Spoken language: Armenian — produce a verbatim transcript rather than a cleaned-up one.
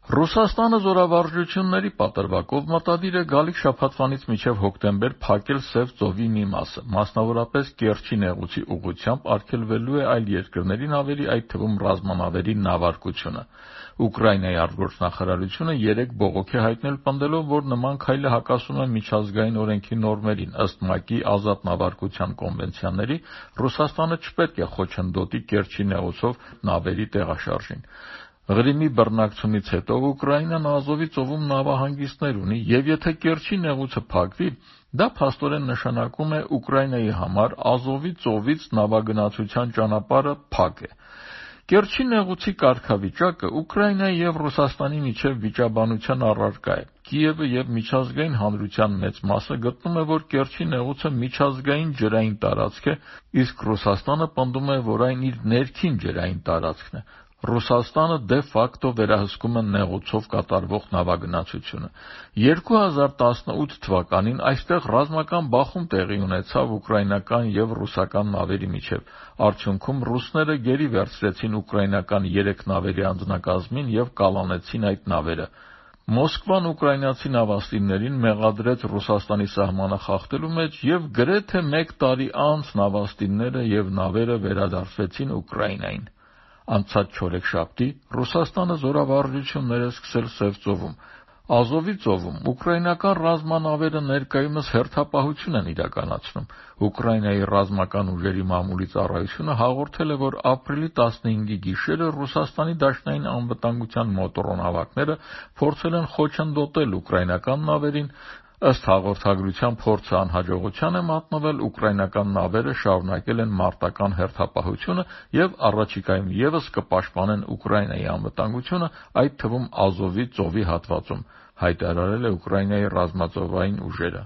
Ռուսաստանը զորավարժությունների պատրվակով մտադիր է գալիք շաբաթվանից մինչև հոկտեմբեր փակել Սև ծովի մի մասը, մասնավորապես Կերչի նեղուցի ուղղությամբ արգելվելու է այլ երկրների նավերի, այդ թվում ռազմանավերի նավարկությունը։ Ուկրաինայի արտգործնախարարությունը երեկ բողոք է հայտնել, պնդելով, որ նման քայլը հակասում է միջազգային օրենքի նորմերին, ըստ ՄԱԿ-ի ազատ նավարկության կոնվենցիաների, Ռուսաստանը չպետք է խոչընդոտի Կերչի նեղուցով նավերի տեղաշարժին։ Ղրիմի բռնակցումից հետո Ուկրաինան Ազովի ծովում նավահանգիստներ ունի, եւ եթե Կերչի նեղուցը փակվի, դա փաստորեն նշանակում է Ուկրաինայի համար Ազովի ծովից նավագնացության ճանապարհը փակ է։ Կերչի նեղուցի կարգավիճակը Ուկրաինայի եւ Ռուսաստանի միջև վիճաբանության առարկա է։ Կիևը եւ միջազգային հանրության մեծ մասը գտնում է, որ Կերչի նեղուցը միջազգային ջրային տարածք է, իսկ Ռուսաստանը պնդում է, որ այն իր ներքին ջրային տարածքն է։ Ռուսաստանը դե ֆակտո վերահսկում է նեղուցով կատարվող նավագնացությունը։ երկու հազար տասնութ թվականին այստեղ ռազմական բախում տեղի ունեցավ ուկրաինական եւ ռուսական նավերի միջև։ Արդյունքում ռուսները գերի վերցրեցին ուկրաինական երեք նավերի անձնակազմին եւ կալանեցին այդ նավերը։ Մոսկվան ուկրաինացի նավաստիներին մեղադրեց Ռուսաստանի սահմանը խախտելու մեջ եւ գրեթե մեկ տարի անց նավաստիները եւ նավերը վերադարձվեցին Ուկրաինային։ Անցած չորեքշաբթի Ռուսաստանը զորավարժություններ է սկսել Սև ծովում։ Ազովի ծովում ուկրաինական ռազմանավերը ներկայումս հերթապահություն են իրականացնում։ Ուկրաինայի ռազմական ուժերի մամուլի ծառայությունը հաղորդել է, որ ապրիլի տասնհինգի գիշերը Ռուսաստանի դաշնային անվտանգության մոտոռոնավակները փորձել են խոչընդոտել ուկրաինական նավերին։ Ըստ հաղորդագրության, փորձը անհաջողության է մատնվել, ուկրաինական նավերը շարունակել են մարտական հերթապահությունը եւ առաջիկայում եւս կպաշտպանեն Ուկրաինայի անվտանգությունը, այդ թվում Ազովի ծովի հատվածում, հայտարարել է Ուկրաինայի ռազմածովային ուժերը։